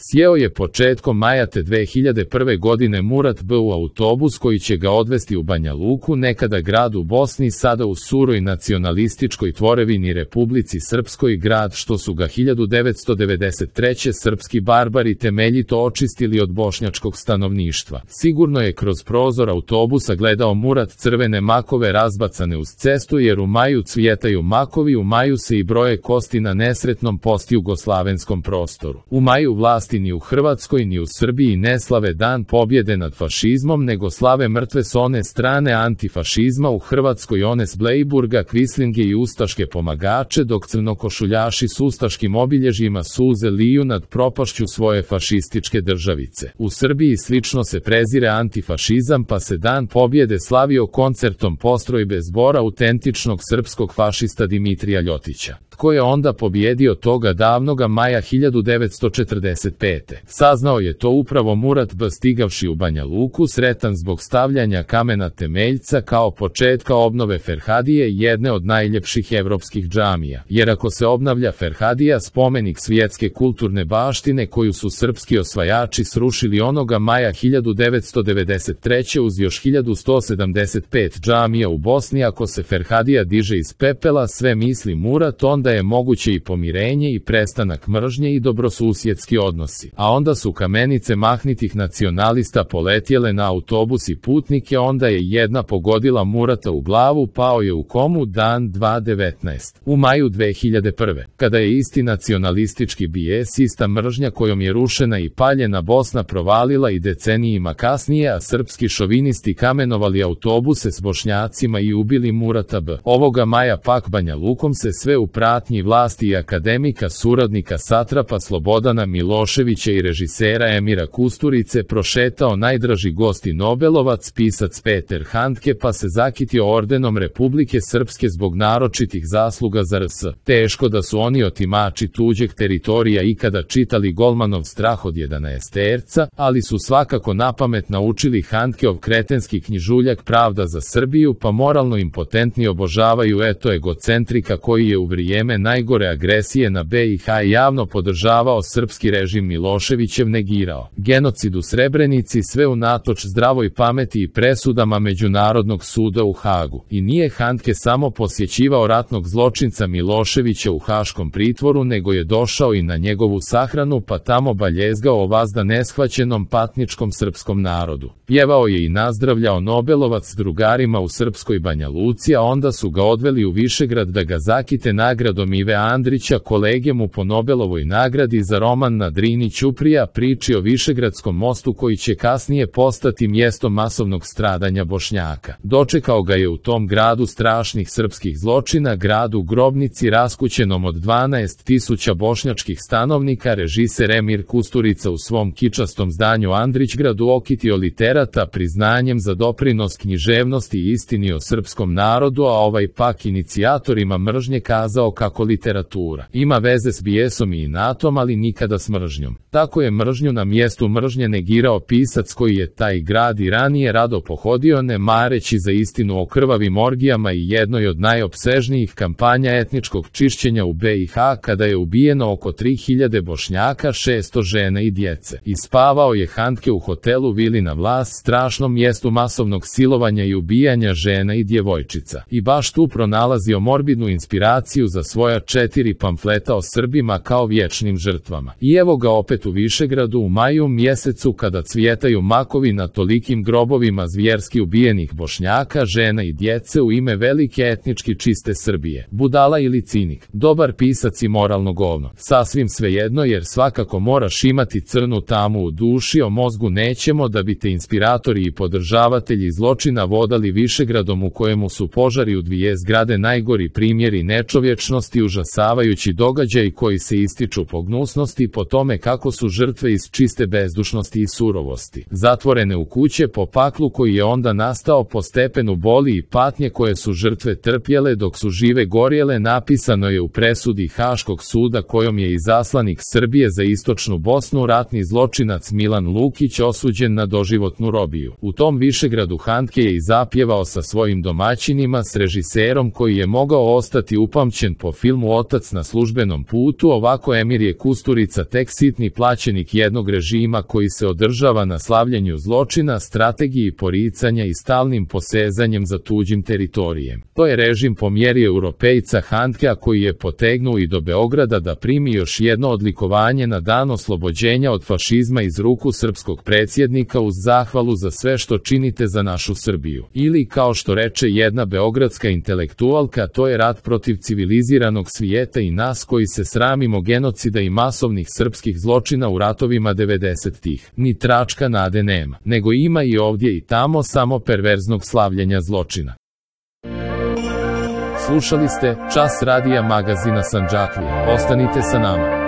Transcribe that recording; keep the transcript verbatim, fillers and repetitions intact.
Sjeo je početkom maja te dve hiljade prve godine Murat B. u autobus koji će ga odvesti u Banja Luku, nekada grad u Bosni, sada u suroj nacionalističkoj tvorevini Republici Srpskoj, grad što su ga hiljadu devetsto devedeset treće srpski barbari temeljito očistili od bošnjačkog stanovništva. Sigurno je kroz prozor autobusa gledao Murat crvene makove razbacane uz cestu, jer u maju cvjetaju makovi, u maju se i broje kosti na nesretnom postjugoslavenskom prostoru. U maju vlasti ni u Hrvatskoj ni u Srbiji ne slave dan pobjede nad fašizmom, nego slave mrtve s one strane antifašizma, u Hrvatskoj one s Blejburga, Kvislinge i ustaške pomagače, dok crnokošuljaši s ustaškim obilježjima suze liju nad propašću svoje fašističke državice. U Srbiji slično se prezire antifašizam, pa se dan pobjede slavio koncertom postrojbe zbora autentičnog srpskog fašista Dimitrija Ljotića. Tko je onda pobjedio toga davnoga maja hiljadu devetsto četrdeset pete? Saznao je to upravo Murat B. stigavši u Banja Luku, sretan zbog stavljanja kamena temeljca kao početka obnove Ferhadije, jedne od najljepših evropskih džamija. Jer ako se obnavlja Ferhadija, spomenik svjetske kulturne baštine koju su srpski osvajači srušili onoga maja hiljadu devetsto devedeset treće uz još hiljadu sto sedamdeset pet džamija u Bosni, ako se Ferhadija diže iz pepela, sve misli Murat, onda je moguće i pomirenje i prestanak mržnje i dobrosusjedski odnosi. A onda su kamenice mahnitih nacionalista poletjele na autobus i putnike, onda je jedna pogodila Murata u glavu, pao je u komu dan dva devetnaest. U maju dve hiljade prve. Kada je isti nacionalistički bijes, ista mržnja kojom je rušena i paljena Bosna provalila i decenijima kasnije, a srpski šovinisti kamenovali autobuse s Bošnjacima i ubili Murata B. Ovoga maja pak Banja Lukom se sve u pratnji vlasti i akademika, suradnika satrapa Slobodana Miloševića i režisera Emira Kusturice prošetao najdraži gost i Nobelovac, pisac Peter Handke, pa se zakitio ordenom Republike Srpske zbog naročitih zasluga za R S. Teško da su oni otimači tuđeg teritorija ikada čitali Golmanov Strah od jedanaesterca, ali su svakako napamet naučili Handkeov kretenski knjižuljak Pravda za Srbiju, pa moralno impotentni obožavaju eto egocentrika koji je u vrijeme najgore agresije na B i H javno podržavao srpski režim Miloševićev, negirao genocid u Srebrenici, sve unatoč zdravoj pameti i presudama Međunarodnog suda u Hagu. I nije Handke samo posjećivao ratnog zločinca Miloševića u haškom pritvoru, nego je došao i na njegovu sahranu, pa tamo baljezgao o vazda neshvaćenom patničkom srpskom narodu. Pjevao je i nazdravljao Nobelovac drugarima u srpskoj Banja Luci, a onda su ga odveli u Višegrad da ga zakite nagradom Ive Andrića, kolege mu po Nobelovoj nagradi za roman Na Drini Ćuprija, priči o Višegradskom mostu koji će kasnije postati mjesto masovnog stradanja Bošnjaka. Dočekao ga je u tom gradu strašnih srpskih zločina, gradu grobnici raskućenom od dvanaest tisuća bošnjačkih stanovnika, režiser Emir Kusturica u svom kičastom zdanju Andrićgradu okitio literata priznanjem za doprinos književnosti i istini o srpskom narodu, a ovaj pak inicijatorima mržnje kazao kako literatura ima veze s bijesom i inatom, ali nikada s mržnjom. Tako je mržnju na mjestu mržnje negirao pisac koji je taj grad i ranije rado pohodio, ne mareći za istinu o krvavim orgijama i jednoj od najopsežnijih kampanja etničkog čišćenja u B i H, kada je ubijeno oko tri hiljade Bošnjaka, šesto žena i djece. I spavao je Handke u hotelu Vili na Vlas, strašnom mjestu masovnog silovanja i ubijanja žena i djevojčica. I baš tu pronalazio morbidnu inspiraciju za svoja četiri pamfleta o Srbima kao vječnim žrtvama. I evo ga opet u Višegradu u maju mjesecu, kada cvjetaju makovi na tolikim grobovima zvjerski ubijenih Bošnjaka, žena i djece u ime velike etnički čiste Srbije. Budala ili cinik, dobar pisac i moralno govno. Sasvim svejedno, jer svakako moraš imati crnu tamu u duši, o mozgu nećemo, da bi te inspiratori i podržavatelji zločina vodali Višegradom u kojemu su požari u dvije zgrade najgori primjeri nečovječnosti, užasavajući događaj koji se ističu po gnusnosti, po tome kako su žrtve iz čiste bezdušnosti i surovosti zatvorene u kuće, po paklu koji je onda nastao, po stepenu boli i patnje koje su žrtve trpjele dok su žive gorjele, napisano je u presudi Haškog suda kojom je izaslanik Srbije za istočnu Bosnu, ratni zločinac Milan Lukić, osuđen na doživotnu ratnu robiju. U tom Višegradu Handke je i zapjevao sa svojim domaćinima, s režiserom koji je mogao ostati upamćen po filmu Otac na službenom putu. Ovako Emirje Kusturica tek sitni plaćenik jednog režima koji se održava na slavljenju zločina, strategiji poricanja i stalnim posezanjem za tuđim teritorijem. To je režim po mjeri Europejca Handkea koji je potegnuo i do Beograda da primi još jedno odlikovanje na dan oslobođenja od fašizma iz ruku srpskog predsjednika uz zahvalu za sve što činite za našu Srbiju. Ili kao što reče jedna beogradska intelektualka, to je rat protiv civiliziranog svijeta i nas koji se sramimo genocida i masovnih srpskih zločina u ratovima devedesetih. Ni tračka nade nema, nego ima i ovdje i tamo samo perverznog slavljenja zločina. Slušali ste Čas radija magazina Sandžaklija. Ostanite sa nama.